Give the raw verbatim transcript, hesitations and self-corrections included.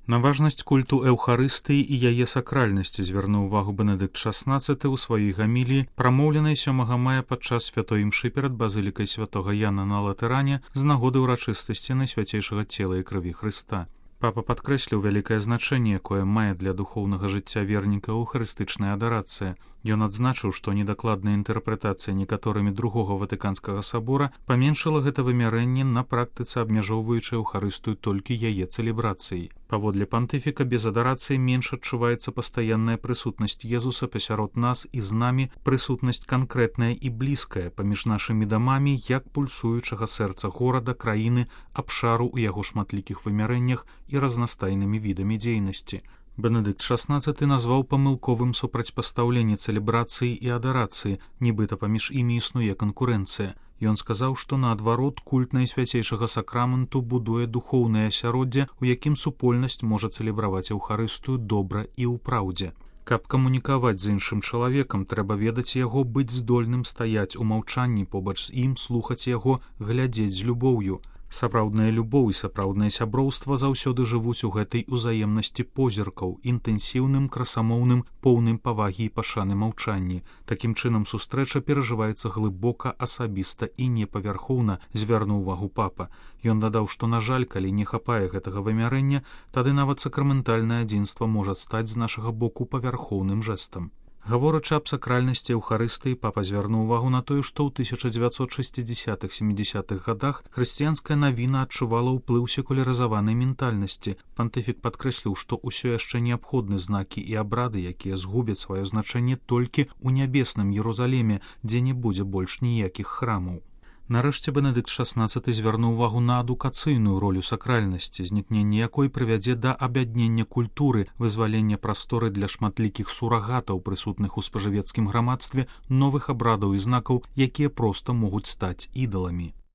На важнасць культу эўхарыстыі і яе сакральнасці звярнуў увагу Бенедыкт шаснаццаты ў сваёй гаміліі, прамоўленай сёмага мая падчас святой імшы перад базылікай святога Яна на Латэране з нагоды ўрачыстасці найсвяцейшага цела і крыві Хрыста. Папа падкрэсліў вялікае значэнне, якое мае для духоўнага жыцця вернікаў эўхарыстычная адарацыя. Ён адзначыў, што недакладная інтэрпрэтацыя некаторымі другога Ватыканскага сабора паменшыла гэта вымярэнне на практыцы, абмяжоўваючы эўхарыстыю толькі яе цэлебрацыяй. Паводле пантыфіка, без адарацыі менш адчуваецца пастаянная прысутнасць Езуса пасярод нас і з намі, прысутнасць канкрэтная і блізкая паміж нашымі дамамі, як пульсуючага сэрца горада, краіны, абшару ў яго шматлікіх вымярэннях і разнастайнымі відамі дзейнасці. Бенедыкт шаснаццаты назваў памылковым супрацьпастаўленне цэлебрацыі і адарацыі, нібыта паміж імі існуе канкурэнцыя. Ён сказаў, што наадварот культ найсвяцейшага сакраменту будуе духоўнае асяроддзе, у якім супольнасць можа цэлебраваць эўхарыстыю добра і ў праўдзе. Каб камунікаваць з іншым чалавекам, трэба ведаць яго, быць здольным стаяць у маўчанні побач з ім, слухаць яго, глядзець з любоўю. Сапраўдная любоў і сапраўднае сяброўства заўсёды жывуць у гэтай узаемнасці позіркаў, інтэнсіўным, красамоўным, поўным павагі і пашаны маўчанні. Такім чынам сустрэча перажываецца глыбока, асабіста і непавярхоўна, звярнуў увагу папа. Ён дадаў, што, на жаль, калі не хапае гэтага вымярэння, тады нават сакраментальнае адзінства можа стаць з нашага боку павярхоўным жэстам. Гаворачы аб сакральнасці эўхарыстыі, папа звярнуў увагу на тое, што ў тысяча дзевяцьсот шэсцідзесятых-сямідзесятых гадах хрысціянская навіна адчувала ўплыў секулярызаванай ментальнасці. Пантыфік падкрэсліў, што ўсё яшчэ неабходны знакі і абрады, якія згубяць сваё значэнне толькі ў нябесным Ерусаліме, дзе не будзе больш ніякіх храмаў. Нарэшце Бенедыкт шаснаццаты звярнуў увагу на адукацыйную ролю сакральнасці, знікненне якой прывядзе да аб'яднення культуры, вызвалення прасторы для шматлікіх сурагатаў, прысутных у спажывецкім грамадстве, новых абрадаў і знакаў, якія проста могуць стаць ідаламі.